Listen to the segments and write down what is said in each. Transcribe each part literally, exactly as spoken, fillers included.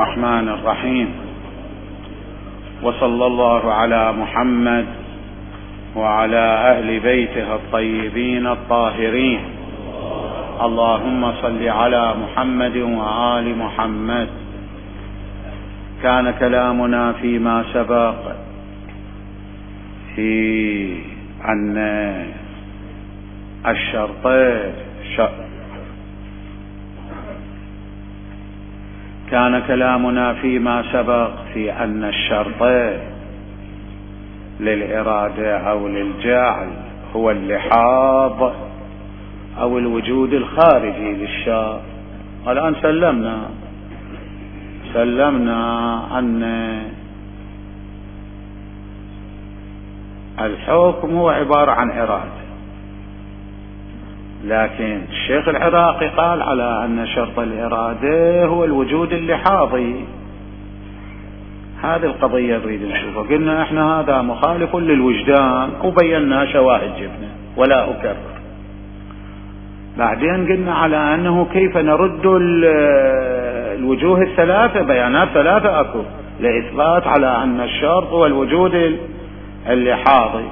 الرحمن الرحيم. وصلى الله على محمد وعلى أهل بيته الطيبين الطاهرين. اللهم صل على محمد وآل محمد. كان كلامنا فيما سبق في أن الشرطين كان كلامنا فيما سبق في أن الشرط للإرادة أو للجعل هو اللحاظ أو الوجود الخارجي للشرط. الآن سلمنا سلمنا أن الحكم هو عبارة عن إرادة، لكن الشيخ العراقي قال على أن شرط الإرادة هو الوجود اللحاظي. هذه القضية نريد نشوفها. قلنا احنا هذا مخالف للوجدان وبينا شواهد جبنا ولا أكرر. بعدين قلنا على أنه كيف نرد الوجوه الثلاثة، بيانات ثلاثة أكو لإثبات على أن الشرط هو الوجود اللحاظي.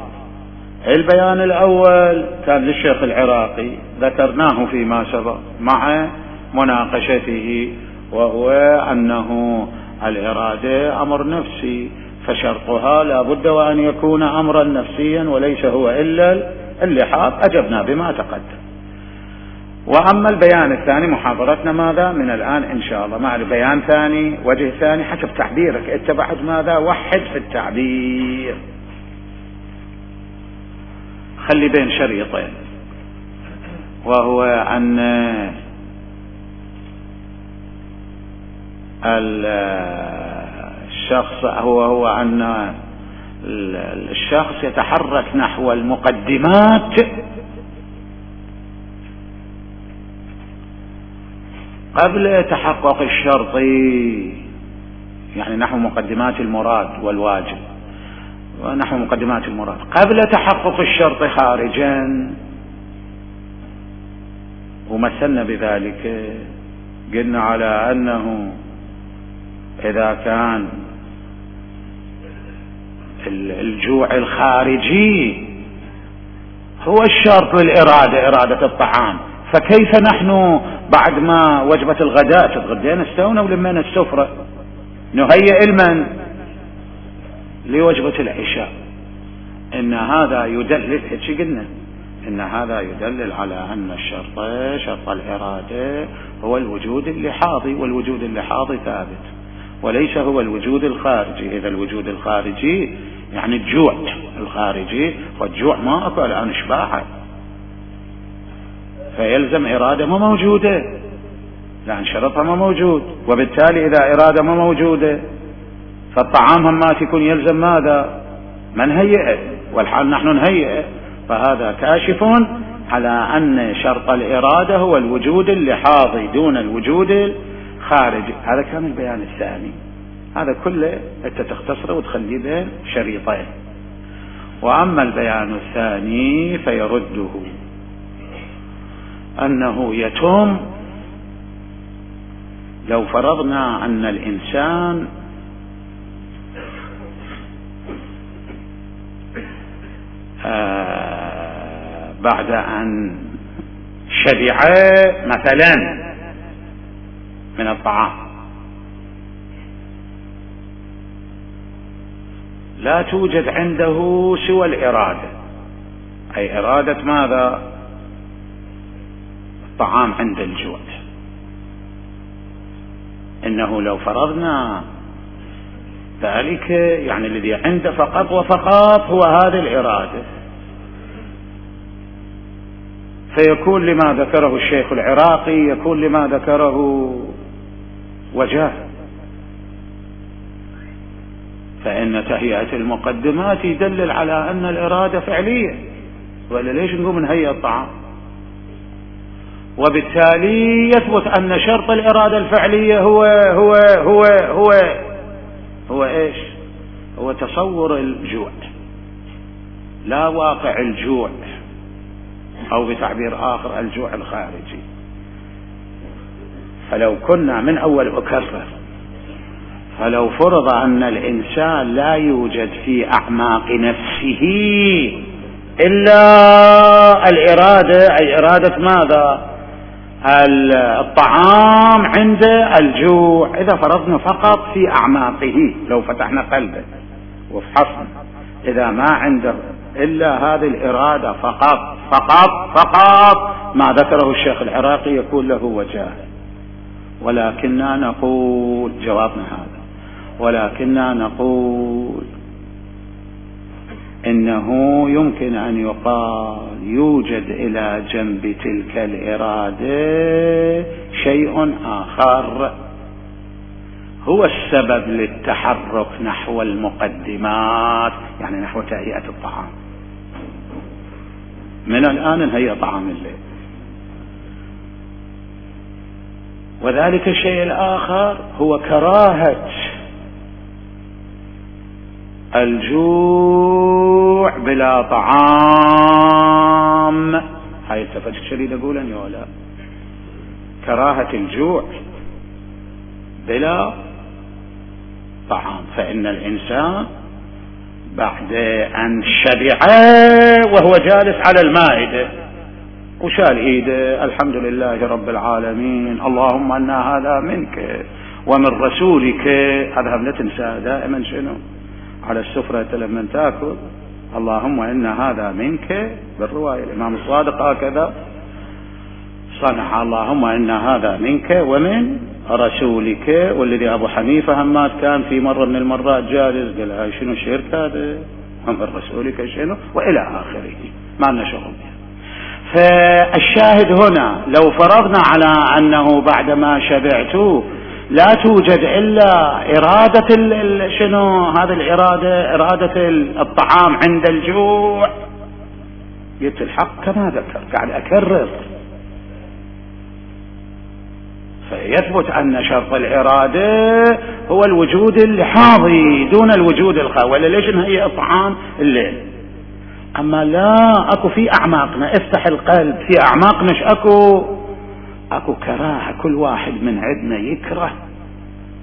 البيان الأول كان للشيخ العراقي ذكرناه فيما سبق مع مناقشته، وهو أنه الإرادة أمر نفسي، فشرطها لا بد وأن يكون أمرا نفسيا وليس هو إلا اللحاظ. أجبنا بما تقدم. وأما البيان الثاني محاضرتنا ماذا من الآن إن شاء الله مع البيان ثاني وجه ثاني حسب تعبيرك أنت بعد ماذا وحد في التعبير، خلي بين شريطين، وهو أن الشخص هو هو أن الشخص يتحرك نحو المقدمات قبل تحقق الشرط، يعني نحو مقدمات المراد والواجب ونحو مقدمات المراد قبل تحقق الشرط خارجا. ومثلنا بذلك قلنا على أنه إذا كان الجوع الخارجي هو الشرط للإرادة، إرادة الطعام، فكيف نحن بعد ما وجبة الغداء تتغدينا استونا ولمنا السفرة نهيئ المن لوجبة العشاء؟ إن هذا يدلل، هيك قلنا إن هذا يدلل على أن الشرط شرط الإرادة هو الوجود اللحاظي، والوجود اللحاظي ثابت وليس هو الوجود الخارجي. إذا الوجود الخارجي يعني الجوع الخارجي، والجوع ما أكو الآن إشباعه، فيلزم إرادة ما موجودة لأن شرطها ما موجود، وبالتالي إذا إرادة ما موجودة فالطعام هم ما تكون يلزم ماذا من هيئه، والحال نحن نهيئه. فهذا كاشف على أن شرط الإرادة هو الوجود اللحاظي دون الوجود الخارجي. هذا كان البيان الثاني، هذا كله أنت تختصره وتخليه بين شريطين. وأما البيان الثاني فيرده أنه يتم لو فرضنا أن الإنسان آه بعد أن شبع مثلا من الطعام لا توجد عنده سوى الإرادة، أي إرادة ماذا؟ الطعام عند الجوع. إنه لو فرضنا ذلك يعني الذي عنده فقط وفقط هو هذه الإرادة، فيكون لما ذكره الشيخ العراقي يكون لما ذكره وجاه. فإن تهيئة المقدمات يدلل على أن الإرادة فعلية، ولا ليش نقوم نهيئ الطعام؟ وبالتالي يثبت أن شرط الإرادة الفعلية هو هو هو هو هو إيش؟ هو تصور الجوع لا واقع الجوع، أو بتعبير آخر الجوع الخارجي. فلو كنا من أول أكرر فلو فرض أن الإنسان لا يوجد في أعماق نفسه إلا الإرادة، أي إرادة ماذا؟ الطعام عند الجوع. إذا فرضنا فقط في أعماقه، لو فتحنا قلبه وفحصنا، إذا ما عنده إلا هذه الإرادة فقط فقط فقط ما ذكره الشيخ العراقي يكون له وجاه. ولكننا نقول جوابنا هذا، ولكننا نقول إنه يمكن أن يقال يوجد إلى جنب تلك الإرادة شيء آخر هو السبب للتحرك نحو المقدمات، يعني نحو تهيئة الطعام. من الآن نهيئ طعام الليل. وذلك الشيء الآخر هو كراهة الجوع بلا طعام. هاي التفت الشديد أقول أن يولا كراهة الجوع بلا طعام. فإن الإنسان بعد أن شبع وهو جالس على المائدة وشال ايده، الحمد لله رب العالمين، اللهم أن هذا منك ومن رسولك. هذا لا تنسى دائما شنو على السفرة لما تاكل، اللهم إن هذا منك. بالرواية الإمام الصادق هكذا صنع، اللهم إن هذا منك ومن رسولك. والذي أبو حنيفة همات كان في مرة من المرات جالس قال هاي شنو شرك هذا، ومن رسولك شنو، وإلى آخره، ما لنا شغل. فالشاهد هنا لو فرضنا على أنه بعدما شبعت لا توجد إلا إرادة شنو هذه الإرادة، إرادة الطعام عند الجوع، قلت الحق كما ذكر قاعد أكرر. فيثبت أن شرط الإرادة هو الوجود الحاضي دون الوجود الخاوي. ولا ليش نهيئ الطعام الليل؟ أما لا أكو في أعماقنا، افتح القلب في أعماقنا ايش أكو؟ أكو كراهة. كل واحد من عندنا يكره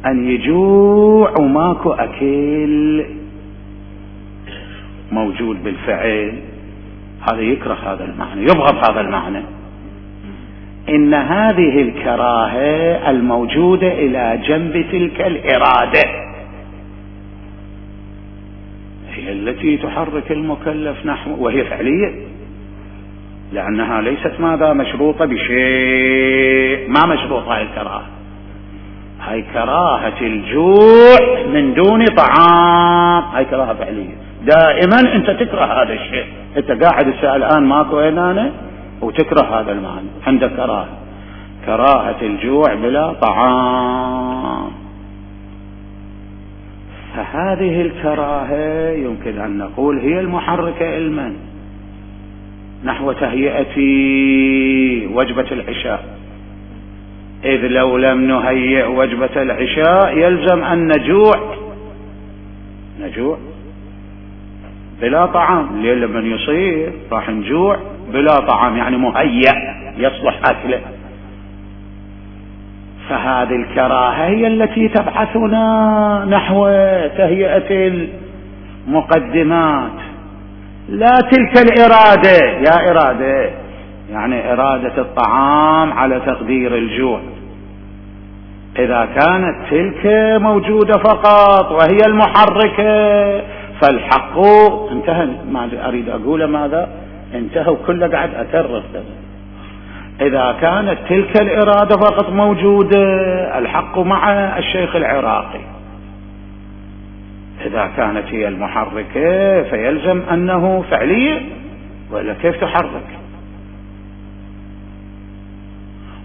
أن يجوع وماكو أكل موجود بالفعل. هذا يكره هذا المعنى، يبغض هذا المعنى. إن هذه الكراهة الموجودة إلى جنب تلك الإرادة هي التي تحرك المكلف نحو، وهي فعلية، لأنها ليست ماذا مشروطة بشيء، ما مشروطة هاي الكراهة. هاي كراهة الجوع من دون طعام، هاي كراهة فعلية. دائما أنت تكره هذا الشيء، أنت قاعد الساعة الآن ماكو هنا وتكره هذا المعنى، عندك كراهة، كراهة الجوع بلا طعام. فهذه الكراهة يمكن أن نقول هي المحركة علما نحو تهيئة وجبة العشاء. إذ لو لم نهيئ وجبة العشاء يلزم أن نجوع نجوع بلا طعام. الليل لما يصير راح نجوع بلا طعام، يعني مهيئ يصلح أكله. فهذه الكراهة هي التي تبعثنا نحو تهيئة المقدمات، لا تلك الإرادة. يا إرادة يعني إرادة الطعام على تقدير الجوع. إذا كانت تلك موجودة فقط وهي المحركة فالحق انتهى. ما أريد أقول ماذا انتهى، كله قاعد أكرر. إذا كانت تلك الإرادة فقط موجودة الحق مع الشيخ العراقي. إذا كانت هي المحركة فيلزم أنه فعلية، وإلا كيف تحرك؟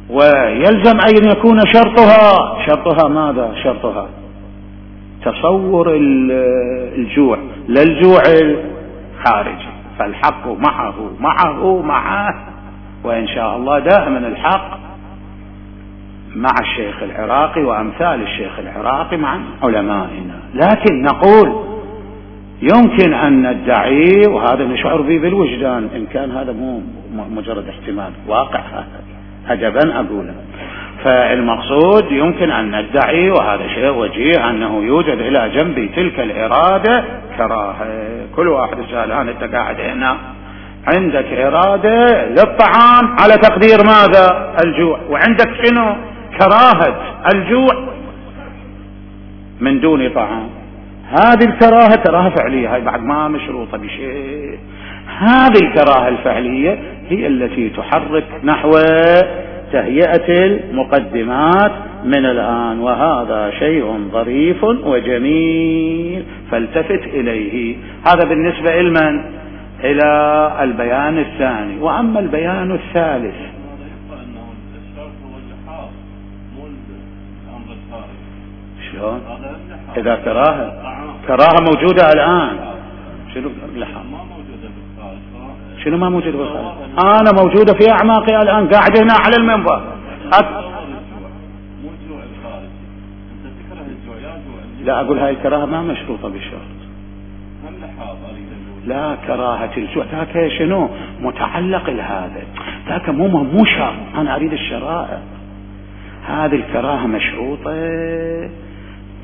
ويلزم أن يكون شرطها شرطها ماذا؟ شرطها تصور الجوع، لا الجوع الخارجي. فالحق معه معه معه، وإن شاء الله دائما الحق مع الشيخ العراقي وأمثال الشيخ العراقي مع علمائنا. لكن نقول يمكن أن ندعي، وهذا نشعر به بالوجدان، إن كان هذا مو مجرد احتمال، واقع هذا عجبا أقوله، فالمقصود يمكن أن ندعي، وهذا شيء وجيه، أنه يوجد إلى جنب تلك الإرادة كراهة. كل واحد يسأل أنا أنت قاعد هنا عندك إرادة للطعام على تقدير ماذا؟ الجوع، وعندك شنو؟ كراهة الجوع من دون طعام. هذه الكراهة كراهة فعلية، هاي بعد ما مشروطة بشيء. هذه الكراهة الفعلية هي التي تحرك نحو تهيئة المقدمات من الآن، وهذا شيء ظريف وجميل فالتفت إليه. هذا بالنسبة لمن؟ إلى البيان الثاني. وأما البيان الثالث، شلون؟ إذا كراهة كراهة موجودة الآن، شنو اللحام؟ شنو ما موجود بالخارج؟ أنا موجودة في أعماقي الآن، قاعد هنا على المنبر. أت... لا أقول هاي الكراهة ما مشروطة بالشرط. لا، كراهة الجوع ذاك شنو متعلق لهذا، ذاك مو مو شرط. أنا أريد الشرائع. هذه الكراهة مشروطة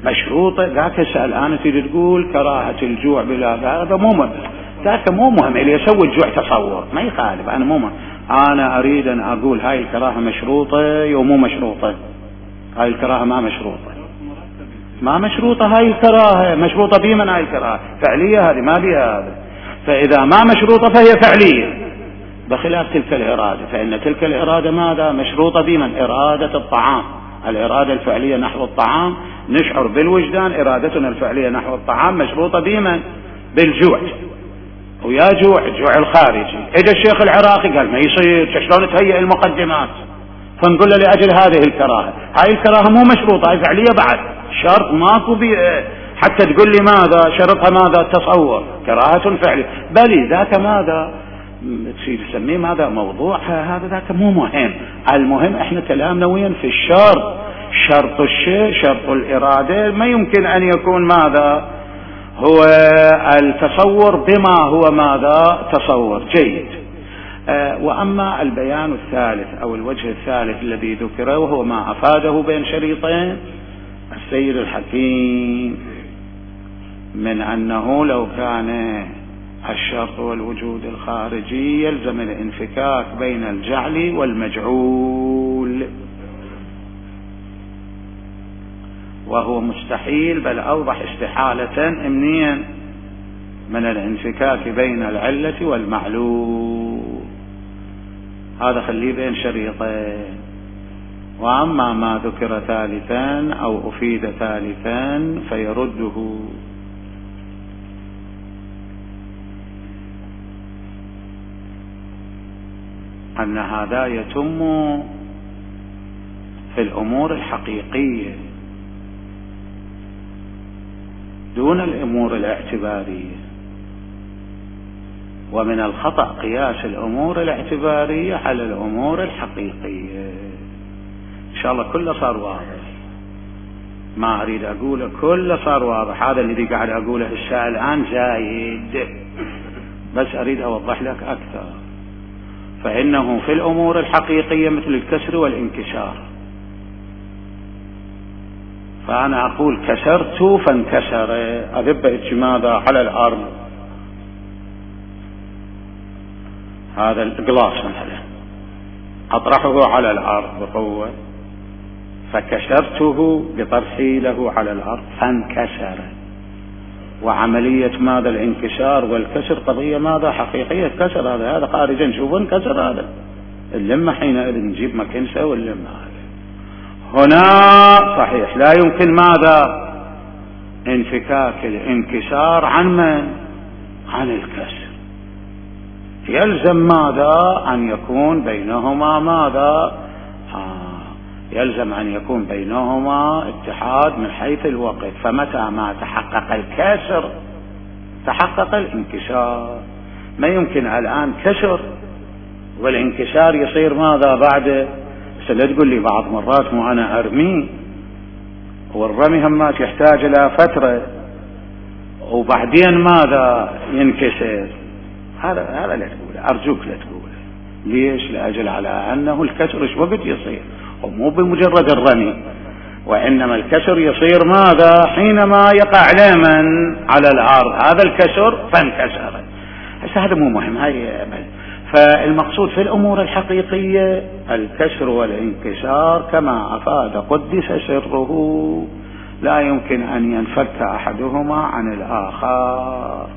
مشروطة ذاك سأل أنا تريد تقول كراهة الجوع بلا هذا مو مهم، ذاك مو مهم اللي يسوي الجوع تصور ما يخالف. أنا مو مهم. أنا أريد أن أقول هاي الكراهة مشروطة أو مو مشروطة. هاي الكراهة ما مشروطة، ما مشروطة. هاي الكراهة مشروطة بمن؟ هاي الكراهة فعلية، هذه ما بها هذا. فإذا ما مشروطة فهي فعلية، بخلاف تلك الإرادة، فإن تلك الإرادة ماذا؟ مشروطة بمن؟ إرادة الطعام، الإرادة الفعلية نحو الطعام. نشعر بالوجدان، إرادتنا الفعلية نحو الطعام مشروطة بمن؟ بالجوع. ويا جوع الجوع الخارجي. إجا الشيخ العراقي قال ما يصير، شلون تهيئ المقدمات؟ فنقول له لأجل هذه الكراهة. هاي الكراهة مو مشروطة، هاي فعلية بعد، شرط ماكو بي حتى تقول لي ماذا شرطها؟ ماذا؟ تصور، كراهة فعلية. بل ذاك ماذا تسميه ماذا؟ موضوعها هذا، ذاك مو مهم. المهم احنا كلامنا وين؟ في الشرط. شرط الشيء، شرط الإرادة ما يمكن أن يكون ماذا؟ هو التصور بما هو ماذا؟ تصور. جيد. آه وأما البيان الثالث أو الوجه الثالث الذي ذكره، وهو ما أفاده بين شريطين السيد الحكيم من أنه لو كان الشرط والوجود الخارجي يلزم الانفكاك بين الجعل والمجعول، وهو مستحيل، بل أوضح استحالة منين؟ من الانفكاك بين العلة والمعلول. هذا خليه بين شريطين. وأما ما ذكر ثالثا أو أفيد ثالثا فيرده. أن هذا يتم في الأمور الحقيقية دون الأمور الاعتبارية، ومن الخطأ قياس الأمور الاعتبارية على الأمور الحقيقية. إن شاء الله كله صار واضح، ما أريد أقوله كله صار واضح. هذا الذي قاعد أقوله الساعة الآن زايد، بس أريد أوضح لك أكثر. فإنه في الأمور الحقيقية مثل الكسر والانكسار، فأنا أقول كسرت فانكسر، أذب ماذا؟ على الأرض، هذا الجلاس مثلا أطرحه على الأرض بقوة، فكسرته بطرحي له على الأرض فانكسر. وعملية ماذا؟ الانكسار والكسر قضية ماذا؟ حقيقية. كسر هذا هذا خارجا نشوفه انكسر، هذا اللمة حينئذ نجيب مكنسة واللمة. هنا صحيح لا يمكن ماذا؟ انفكاك الانكسار عن من؟ عن الكسر. يلزم ماذا؟ أن يكون بينهما ماذا؟ آه. يلزم أن يكون بينهما اتحاد من حيث الوقت. فمتى ما تحقق الكسر تحقق الانكسار. ما يمكن الآن كسر والانكسار يصير ماذا بعد؟ لا تقول لي بعض مرات مو أنا أرمي، والرمي همات يحتاج إلى فترة وبعدين ماذا؟ ينكسر. هذا هذا لا تقوله، أرجوك لا تقوله. ليش؟ لأجل على أنه الكسر إيش وقت يصير؟ ومو بمجرد الرمي، وإنما الكسر يصير ماذا؟ حينما يقع لمن على الأرض هذا الكسر فانكسر. هذا مو مهم، هاي فالمقصود في الأمور الحقيقية الكسر والانكسار كما أفاد قدس سره، لا يمكن أن ينفك أحدهما عن الآخر.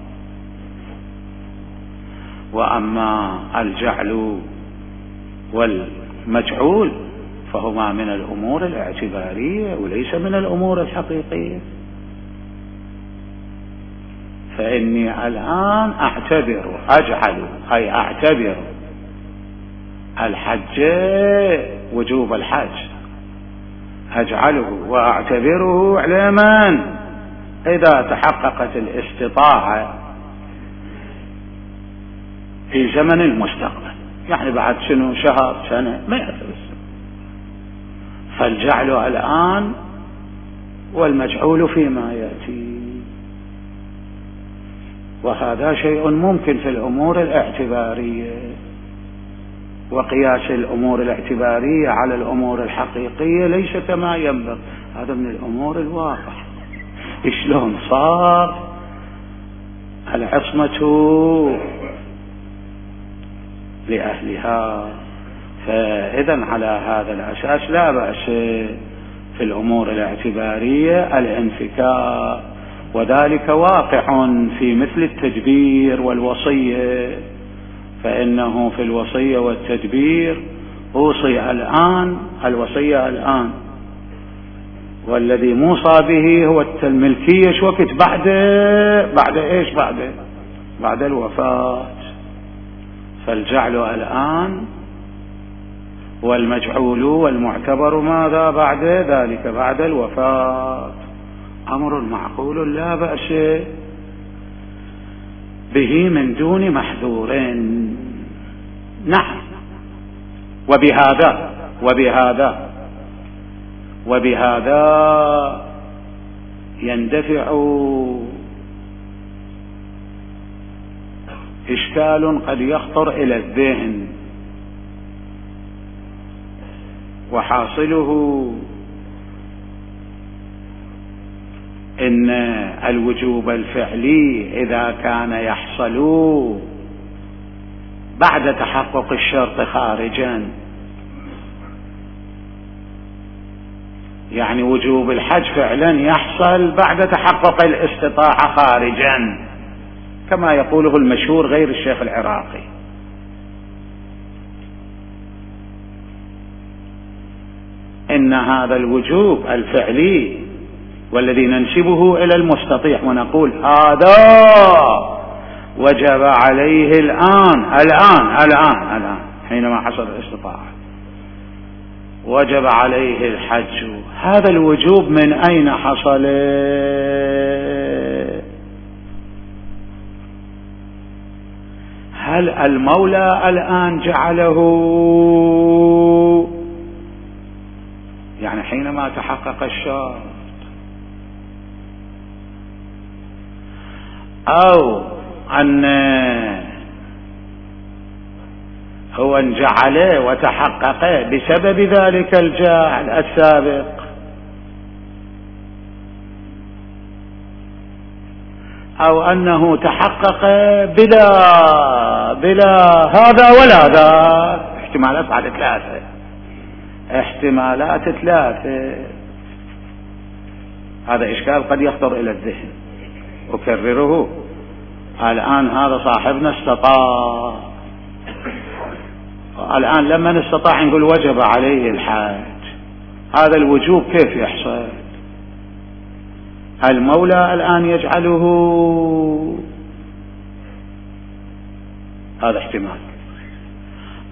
وأما الجعل والمجعول فهما من الأمور الاعتبارية وليس من الأمور الحقيقية. فإني الآن أعتبر أجعل أي أعتبر الحج وجوب الحج أجعله وأعتبره على من؟ إذا تحققت الاستطاعة في زمن المستقبل، يعني بعد شنو شهر سنة ما يعتبر. فالجعل الآن والمجعول فيما يأتي، وهذا شيء ممكن في الأمور الاعتبارية. وقياس الأمور الاعتبارية على الأمور الحقيقية ليس كما ينبغي، هذا من الأمور الواضحة. شلون صار العصمة لأهلها؟ فإذا على هذا الأساس لا بأس في الأمور الاعتبارية الانفكاك، وذلك واقع في مثل التدبير والوصية. فإنه في الوصية والتدبير أوصي الآن، الوصية الآن، والذي موصى به هو الملكية شو وقت؟ بعد بعد إيش؟ بعد بعد الوفاة. فالجعل الآن والمجعول والمعتبر ماذا؟ بعد ذلك بعد الوفاة. أمر معقول لا بأس به من دون محذور. نعم. وبهذا وبهذا وبهذا يندفع إشكال قد يخطر إلى الذهن، وحاصله إن الوجوب الفعلي إذا كان يحصل بعد تحقق الشرط خارجا، يعني وجوب الحج فعلا يحصل بعد تحقق الاستطاعة خارجا كما يقوله المشهور غير الشيخ العراقي. إن هذا الوجوب الفعلي والذي ننسبه إلى المستطيع ونقول هذا وجب عليه الآن الآن الآن الآن حينما حصل الاستطاعة وجب عليه الحج، هذا الوجوب من أين حصل؟ هل المولى الآن جعله؟ يعني حينما تحقق الشرط، أو أن هو ان جعله وتحقق بسبب ذلك الجعل السابق، أو أنه تحقق بلا بلا هذا ولا ذا. احتمالات بعد ثلاثة، احتمالات ثلاثة. هذا إشكال قد يخطر إلى الذهن. أكرره الآن، هذا صاحبنا استطاع، الآن لما استطاع نقول وجب عليه الحج، هذا الوجوب كيف يحصل؟ المولى الآن يجعله، هذا احتمال.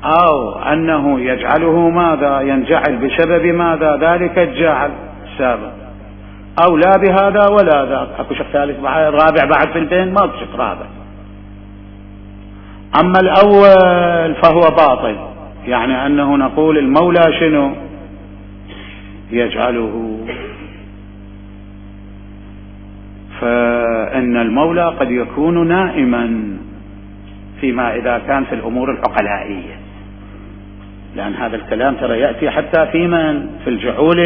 أو أنه يجعله ماذا؟ ينجعل بسبب ماذا؟ ذلك الجعل السابق، أو لا بهذا ولا ذاك. أكو شق ثالث رابع بعد في البين؟ ما أكو شق رابع. أما الأول فهو باطل، يعني أنه نقول المولى شنو؟ يجعله. فإن المولى قد يكون نائما فيما إذا كان في الأمور العقلائية، لأن هذا الكلام ترى يأتي حتى في من في الجعول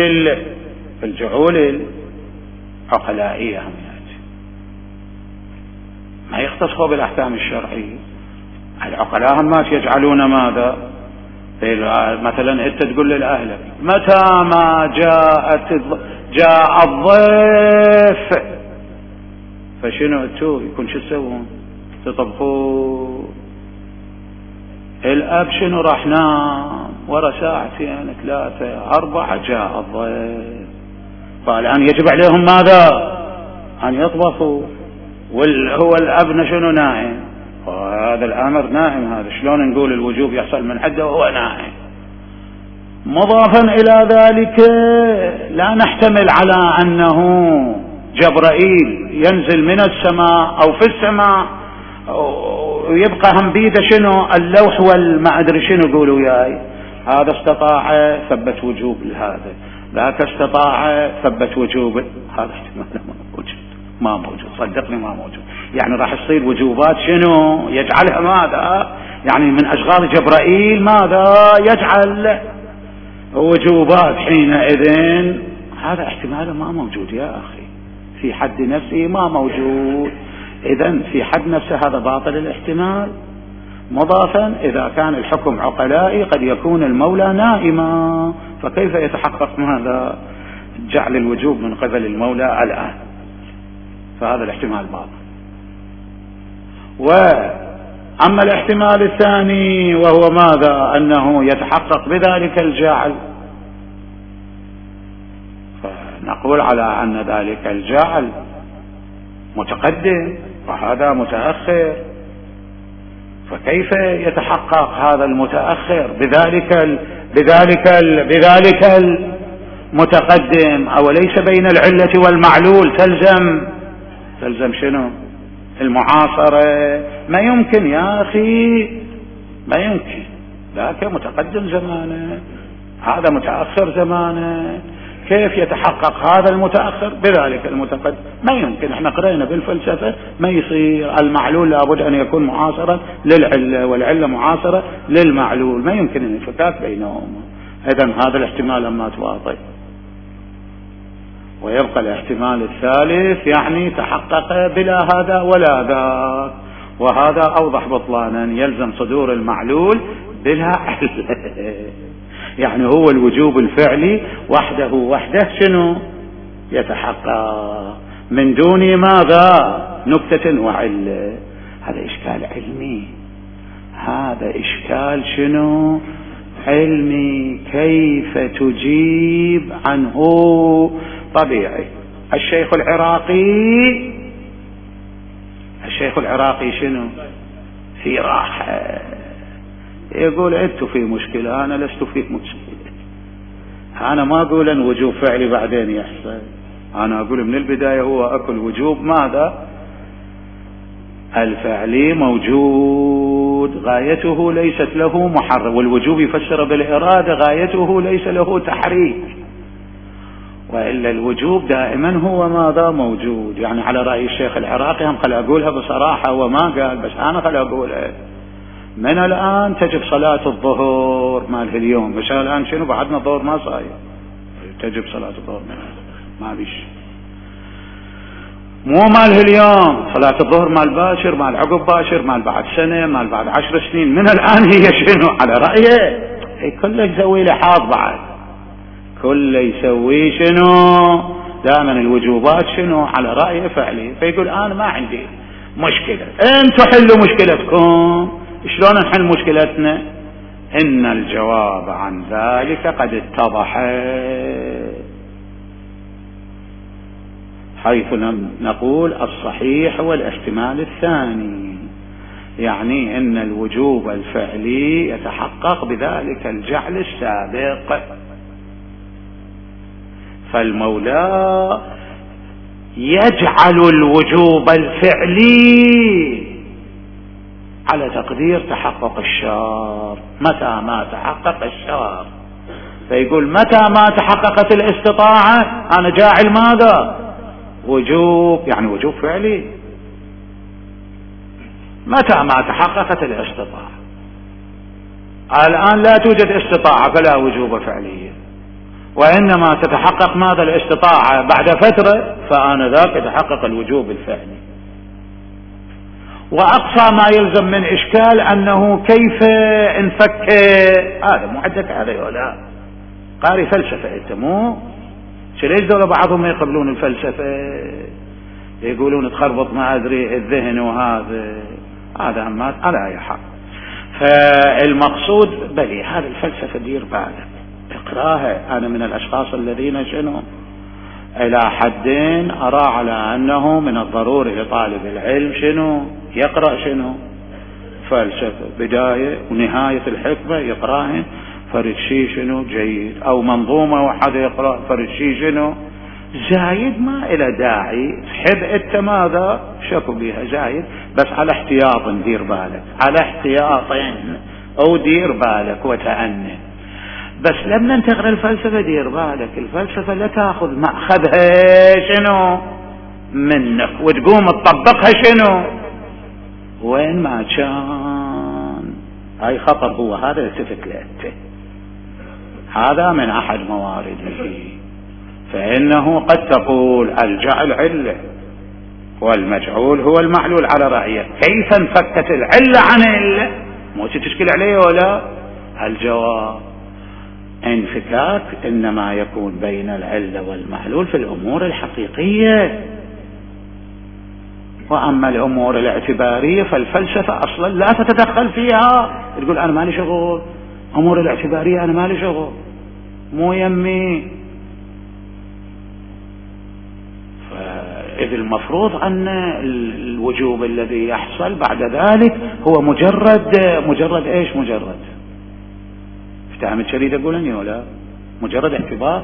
في الجعول العقلائية هم يأتي، ما يختصوا بالأحكام الشرعية. العقلاء هم ما يجعلون ماذا؟ مثلا أنت تقول لأهلك متى ما جاءت جاء الضيف فشنو أنتوا يكون شو تسوون؟ تطبخوا الأب شنو راح نام ورا ساعتين ثلاثة أربعة جاء الضيف، فالآن يجب عليهم ماذا؟ أن يطبخوا، وهو الأب شنو نائم، وهذا الأمر نائم، هذا شلون نقول الوجوب يحصل من حده وهو نائم؟ مضافا إلى ذلك لا نحتمل على أنه جبرائيل ينزل من السماء أو في السماء ويبقى هم بيده شنو اللوح والما أدري شنو يقولوا وياي، هذا استطاع ثبت وجوب لهذا، ذاك استطاع ثبت وجوب، هذا احتمال ما موجود، ما موجود صدقني ما موجود. يعني راح تصير وجوبات شنو يجعلها ماذا؟ يعني من أشغال جبرائيل ماذا يجعل وجوبات حينئذ، هذا احتمال ما موجود يا أخي في حد نفسه ما موجود. إذن في حد نفسه هذا باطل الاحتمال. مضافا إذا كان الحكم عقلائي قد يكون المولى نائما، فكيف يتحقق ماذا؟ جعل الوجوب من قبل المولى الآن، فهذا الاحتمال باطل. وأما الاحتمال الثاني وهو ماذا؟ أنه يتحقق بذلك الجعل، فنقول على أن ذلك الجعل متقدم وهذا متأخر، فكيف يتحقق هذا المتأخر بذلك ال بذلك ال بذلك المتقدم؟ أوليس بين العلة والمعلول تلزم تلزم شنو؟ المعاصرة. ما يمكن يا أخي، ما يمكن، ذاك متقدم زمانه هذا متأخر زمانه، كيف يتحقق هذا المتأخر بذلك المتقدم؟ ما يمكن. احنا قرأنا بالفلسفة ما يصير، المعلول لابد أن يكون معاصرا للعلة والعلة معاصرة للمعلول، ما يمكن الانفكاك بينهما. إذن هذا الاحتمال ما تواطئ. ويبقى الاحتمال الثالث يعني تحقق بلا هذا ولا ذاك، وهذا أوضح بطلانا، يلزم صدور المعلول بلا علة. يعني هو الوجوب الفعلي وحده وحده شنو يتحقق من دون ماذا؟ نكتة وعلة. هذا إشكال علمي، هذا إشكال شنو علمي، كيف تجيب عنه؟ طبيعي. الشيخ العراقي الشيخ العراقي شنو في راحة، يقول انتوا في مشكلة، انا لست في مشكلة، انا ما اقول ان وجوب فعلي بعدين يحصل، انا اقول من البداية هو اكل وجوب ماذا؟ الفعلي موجود، غايته ليست له محرك، والوجوب يفسر بالإرادة، غايته ليس له تحريك، وإلا الوجوب دائما هو ماذا؟ موجود. يعني على رأي الشيخ العراقي هم خل أقولها بصراحة وما قال، بس أنا خل أقولها، من الآن تجب صلاة الظهر ماله اليوم، بس الآن شنو بعدنا الظهر ما صاير، تجب صلاة الظهر من ما بيش، مو ماله اليوم صلاة الظهر مال باشر مال عقب باشر مال بعد سنة مال بعد عشر سنين، من الآن هي شنو على رأيه كله يسوي له حاض، بعد كله يسوي شنو دائما الوجوبات شنو على رأيه فعلي، فيقول أنا ما عندي مشكلة، انتوا حلوا مشكلتكم. شلون نحل مشكلتنا؟ إن الجواب عن ذلك قد اتضح، حيث نقول الصحيح هو الاحتمال الثاني، يعني ان الوجوب الفعلي يتحقق بذلك الجعل السابق، فالمولى يجعل الوجوب الفعلي على تقدير تحقق الشرط، متى ما تحقق الشرط، فيقول متى ما تحققت الاستطاعة انا جاعل ماذا؟ وجوب، يعني وجوب فعلي، متى ما تحققت الاستطاعة. الآن لا توجد استطاعة فلا وجوب فعليا، وإنما تتحقق ماذا الاستطاعة بعد فترة، فآنذاك يتحقق الوجوب الفعلي. وأقصى ما يلزم من إشكال أنه كيف انفك هذا، مو عندك هذا ولا قاري فلسفة أنت، مو ليش دول بعضهم ما يقبلون الفلسفة، يقولون تخربط ما أدري الذهن وهذا هذا ما على أي حال. فالمقصود بلي هذه الفلسفة دير بالك اقراها. أنا من الأشخاص الذين شنو إلى حدين أرى على أنه من الضروري لطالب العلم شنو يقرأ شنو فلسفة بداية ونهاية الحكمة يقرأها فرد شيء شنو جيد، أو منظومة واحدة يقرأ فرد شيء شنو زايد، ما إلى داعي تحب أنت ماذا شكو بها زايد، بس على احتياط دير بالك، على احتياط أو دير بالك وتأني. بس لما تقرأ الفلسفة دير بالك الفلسفة لا تأخذ مأخذها شنو منك وتقوم تطبقها شنو وين ما كان. هاي خطر، هو هذا التفت له، هذا من أحد موارده. فإنه قد تقول الجعل علة والمجعول هو المعلول على رأيه، كيف انفكت العلة عن العلة؟ مو تشكل عليه ولا؟ الجواب انفكاك إنما يكون بين العلة والمعلول في الأمور الحقيقية، وأما الأمور الاعتبارية فالفلسفة أصلا لا تتدخل فيها، تقول أنا مالي شغل أمور الاعتبارية، أنا مالي شغل مو يمي. فإذ المفروض أن الوجوب الذي يحصل بعد ذلك هو مجرد مجرد إيش مجرد افتهم الشريد أقولني ولا مجرد اعتبار،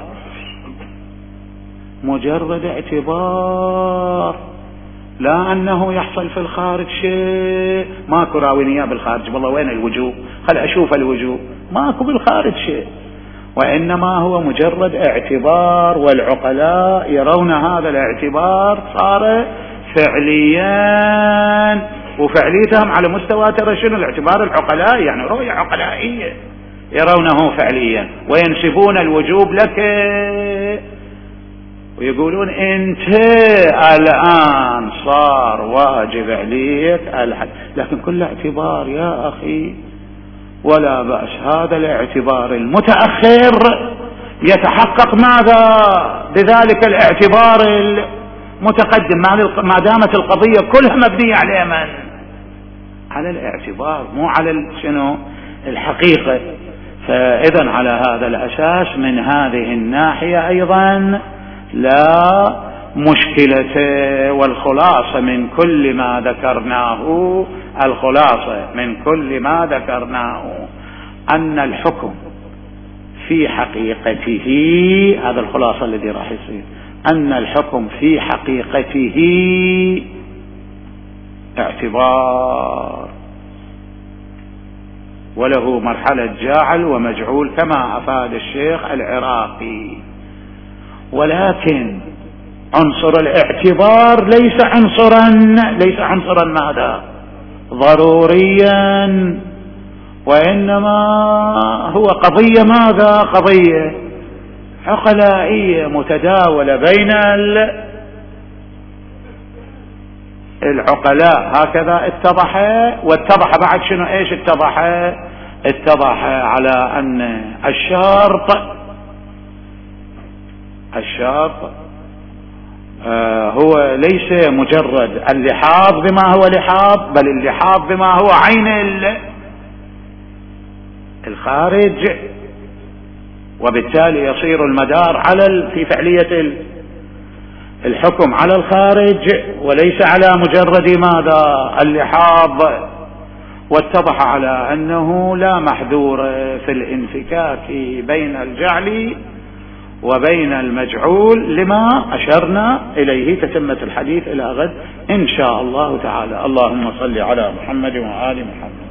مجرد اعتبار، لا أنه يحصل في الخارج شيء. ماكو راوينية بالخارج والله وين الوجوب، خل أشوف الوجوب، ماكو بالخارج شيء، وإنما هو مجرد اعتبار، والعقلاء يرون هذا الاعتبار صار فعليا، وفعليتهم على مستوى ترى شنو الاعتبار العقلاء، يعني رؤية عقلائية يرونه فعليا، وينسبون الوجوب لك ويقولون انت الآن صار واجب عليك الحد، لكن كل اعتبار يا أخي ولا بأس. هذا الاعتبار المتأخر يتحقق ماذا بذلك الاعتبار المتقدم، ما دامت القضية كلها مبنية على من؟ على الاعتبار مو على شنو الحقيقة. فإذا على هذا الأساس من هذه الناحية أيضا لا مشكلة. والخلاصة من كل ما ذكرناه الخلاصة من كل ما ذكرناه أن الحكم في حقيقته، هذا الخلاصة الذي راح يصير، أن الحكم في حقيقته اعتبار، وله مرحلة جاعل ومجعول كما أفاد الشيخ العراقي. ولكن عنصر الاعتبار ليس عنصرا ليس عنصرا ماذا ضروريا، وإنما هو قضية ماذا قضية عقلائية متداولة بين العقلاء. هكذا اتضح، واتضح بعد شنو ايش اتضح اتضح على أن الشرط الشرط آه هو ليس مجرد اللحاظ بما هو لحاظ، بل اللحاظ بما هو عين الخارج، وبالتالي يصير المدار على في فعلية الحكم على الخارج وليس على مجرد ماذا اللحاظ. واتضح على أنه لا محذور في الانفكاك بين الجعل وبين المجعول لما أشرنا إليه. تتمة الحديث إلى غد إن شاء الله تعالى. اللهم صل على محمد وآل محمد.